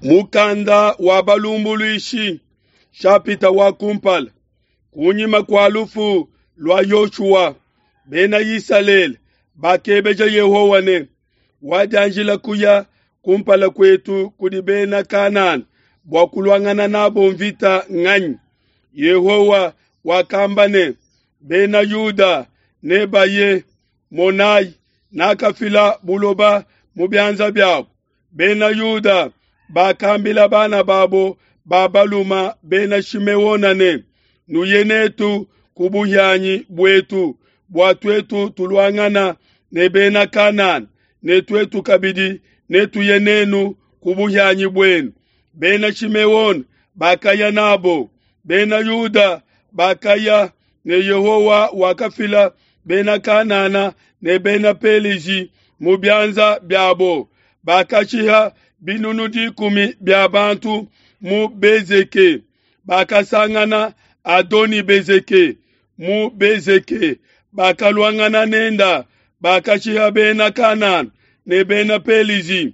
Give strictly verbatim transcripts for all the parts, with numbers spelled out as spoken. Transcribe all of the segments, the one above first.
Mukanda wa balumbuluishi shapita wa kumpala. Kunyima kua lufu lua Yoshua, bena Isalele bakebeja Yehowa ne, wadianjila kuya kumpala kuetu kudi bena Kanana bua kuluangana nabo mvita nganyi? Yehowa wakamba ne, bena Yuda nebaye, monayi, nakafila buloba mu bianza biabo. Bena Yuda bakambila bana babo ba baluma bena Shimeona ne, nuye netu ku buhianyi buetu bua tuetu tuluangana ne bena Kanana, ne tuetu kabidi netuye nenu ku buhianyi buenu. Bena Shimeona bakaya nabo, bena Yuda bakaya ne Yehowa wakafila bena Kanana ne bena Pelizi mu bianza biabo. Bakashiha binunu dikumi bia bantu mu Bezeke. Bakasangana Adoni Bezeke mu Bezeke, bakaluangana nenda, bakashiha bena Kanana ne bena Pelizi.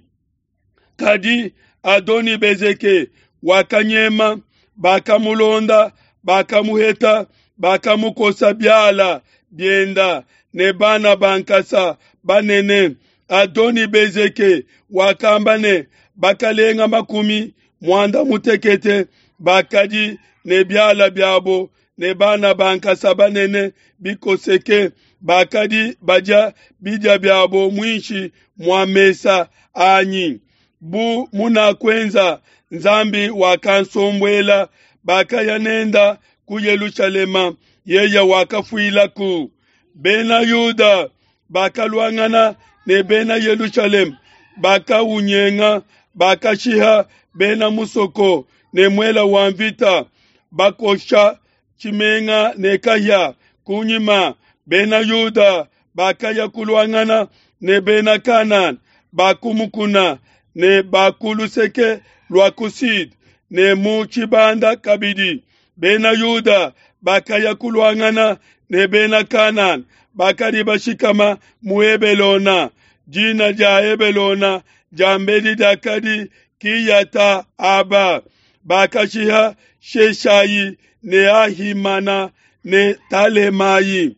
Kadi Adoni Bezeke wakanyema, bakamulonda, bakamuheta, bakamukosa biala bienda ne bana ba nkasa banene. Adoni Bezeke wakamba ne, bakalenga makumi muanda mutekete bakadi ne biala biabo ne bana ba nkasa banene bikoseke, bakadi badia bidia biabo muinshi mua mesa anyi. Bu munakuenza, Nzambi wakansombuela. Bakaya nenda ku Yelushalema, yeye wakafuilaku. Bena Yuda bakaluangana ne bena Yelushalema, bakaunyenga, bakashiha bena musoko ne muela wa mvita, bakosha tshimenga ne kahia. Kunyima bena Yuda bakaya kuluangana ne bena Kanana bakumukuna ne bakuluseke lua ku sud ne mu tshibanda kabidi. Bena Yuda bakaya kuluangana ne bena Kanana bakadi bashikama mu Hebelona. Dina dia Hebelona diambedi diakadi Kiyata Aba. Bakashiha Sheshayi ne Ahimana ne Talemayi.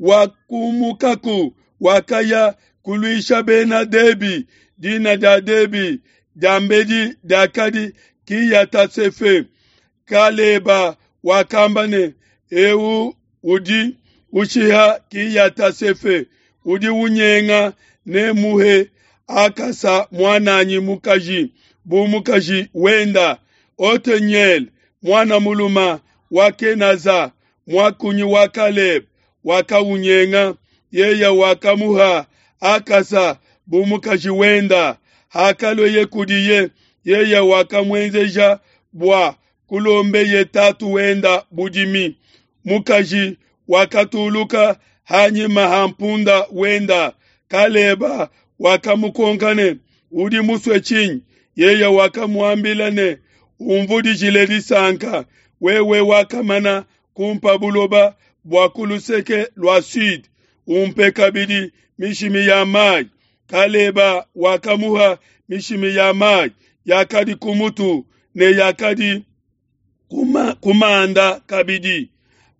Wakumukaku wakaya kuluisha bena Debi. Dina dia Debi diambedi diakadi Kiyata Sefe. Kaleba wakamba ne, eu udi ushiha Kiyata Sefe udi unyenga ne muhe Akasa muananyi mukaji bu mukaji wenda. Oteniel muana muluma wa Kenaza muakunyi wa Kaleb wakaunyenga, yeye wakamuha Akasa bu mukaji wenda. Hakalweye kudiye, yeye wakamuenzeja bua kulombeye tatu wenda budimi. Mukaji wakatuluka hanyima ha mpunda wenda. Kaleba wakamukonka ne, udi musue tshinyi? Yeye wakamuambila ne, umvudijile disanka, wewe wakamana kumpa buloba bua ku luseke lua sud, umpe kabidi mishimi ya mayi. Kaleba wakamuha mishimi ya mayi yakadi ku mutu ne yakadi kuma, kumanda kabidi.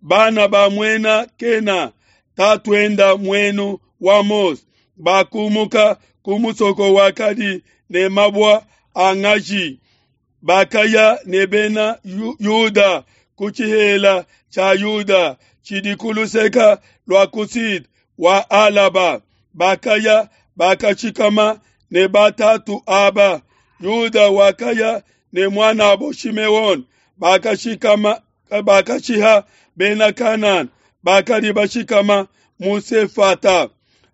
Bana ba muena Kena tatuenda muenu wa Mose bakumuka ku musoko wakadi ne mabua a ngaji, bakaya ne bena Yuda ku tshihela tshia Yuda tshidi ku luseke lua ku sud wa Alaba. Bakaya bakashikama ne batatu aba. Yuda wakaya ne muanabo Shimeon, bakashikama bakashiha bena Kanana bakadi bashikama mu Sefata.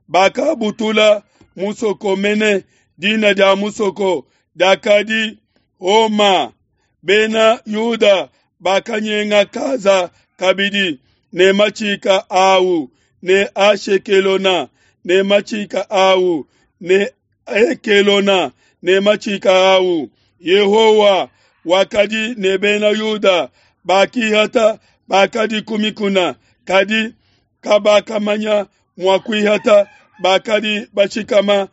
Bakabutula musoko mene, dina dia musoko diakadi Homa. Bena Yuda bakanyenga Kaza kabidi ne machika awu ne Ashekelona ne machika awu ne Ekelona ne machika awu. Yehowa wakadi ne bena Yuda bakihata bakadi ku mikuna, kadi kabakamanya mua kuihata bakadi bashikama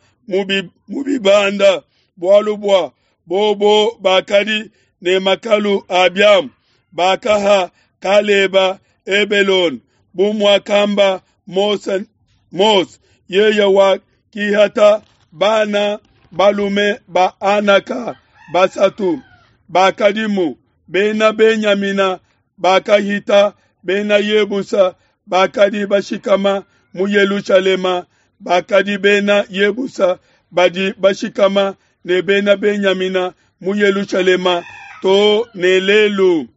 mu bibanda, bualu bua Bobo bakadi ne makalu a biamu, bakaha Kaleba Hebelone, bu muakamba Mose, Mose yeye wakihata bana balume ba Anaka basatu bakadimu. Bena Benyamina bakahita Bena Yebusa bakadi bashikama mu Yelushalema, bakadi Bena Yebusa badi bashikama ne Bena Benyamina mu Yelushalema to ne lelu.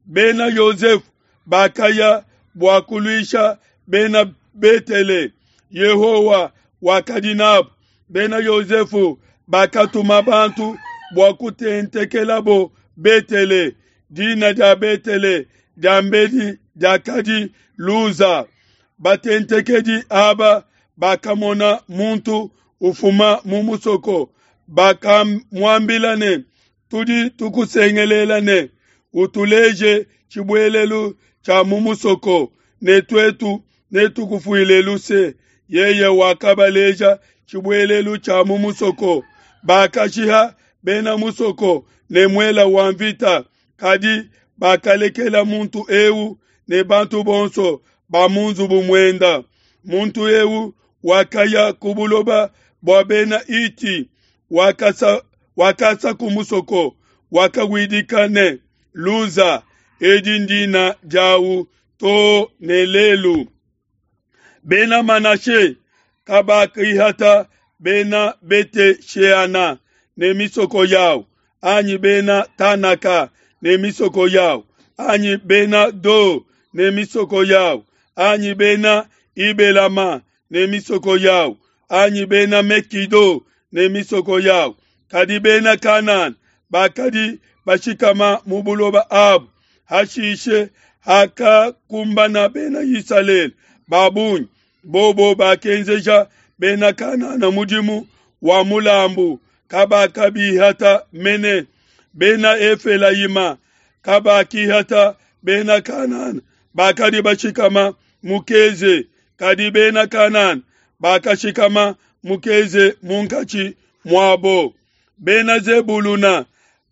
Bena Yosefu bakaya bua kuluisha Bena Betele, Yehowa wakadi nabo. Bena Yosefu bakatuma bantu bua kutentekelabo Betele. Dina dia Betele diambedi diakadi Luza. Batentekedi aba bakamona muntu ufuma mu musoko, bakamuambila ne, tudi tukusengelela ne, utuleje tshibuelelu tshia mu musoko, ne tuetu netukufuile luse. Yeye wakabaleja tshibuelelu tshia mu musoko. Bakashiha bena musoko ne muela wa mvita, kadi bakalekela muntu eu ne bantu bonso ba mu nzubu muenda. Muntu eu wakaya ku buloba bua bena Iti, wakasa wakasa ku musoko, wakawidika ne Luza, edi ndina diawu to ne lelu. Bena Manashe kabakihata bena Bete-Sheana ne misoko yao, anyi bena Tanaka ne misoko yao, anyi bena Do ne misoko yao, anyi bena Ibelama ne misoko yao, anyi bena Mekido ne misoko yao. Kadi bena Kanana bakadi bashikama mu buloba abu. Hashishe hakakumbana bena Isalele ba bungi, bobo bakenzeja bena Kanana mudimu wa mulambu, kabakabihata mene. Bena Efelayima kabakihata bena Kanana bakadi bashikama mu Keze, kadi bena Kanana bakashikama mu Keze munkatshi muabo. Bena Zebuluna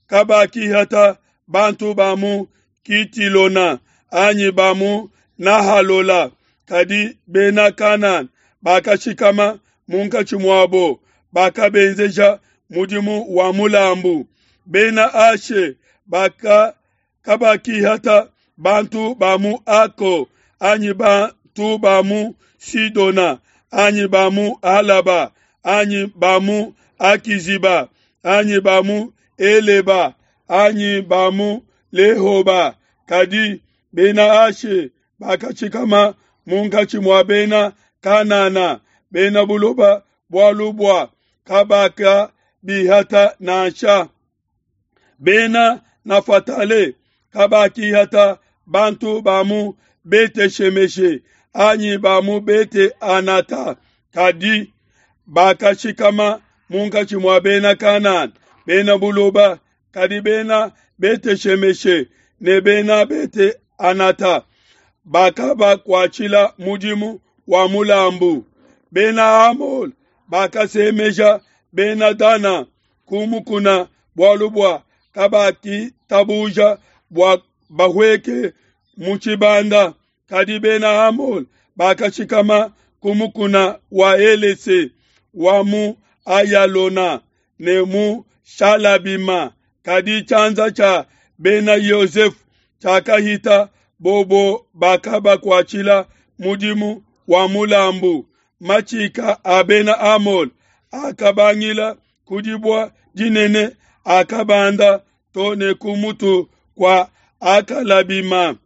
kabakihata bantu ba mu Kitilona anyi ba mu Nahalola, kadi bena Kanana bakashikama munkatshi muabo, bakabenzeja mudimu wa mulambu. Bena Ashe baka kabakihata bantu ba mu Ako anyi bantu ba mu Sidona anyi ba mu Alaba anyi ba mu Akiziba anyi ba mu Eleba anyi ba mu Lehoba, kadi bena Ashe bakashikama munkatshi mua bena Kanana, bena buloba bualu bua kabakabihata nansha. Bena Nafatale kabakihata bantu ba mu Bete-Shemeshe anyi ba mu Bete-Anata, kadi bakashikama munkatshi mua bena Kanana, bena buloba. Kadi bena Bete-Shemeshe ne bena Bete-Anata bakabakuatshila mudimu wa mulambu. Bena Amole bakasemeja bena Dana ku mukuna bualu bua kabakitabuja bua bahueke mu tshibanda. Kadi bena Amole bakashikama ku mukuna wa Elese wa mu Ayalona ne mu Shalabima. Kadi tshianza tshia bena Yosefu tshiakahita, bobo bakabakuatshila mudimu wa mulambu. Matshika a bena Amole akabangila ku dibua dinene, akabanda to ne ku mutu kua Akalabima.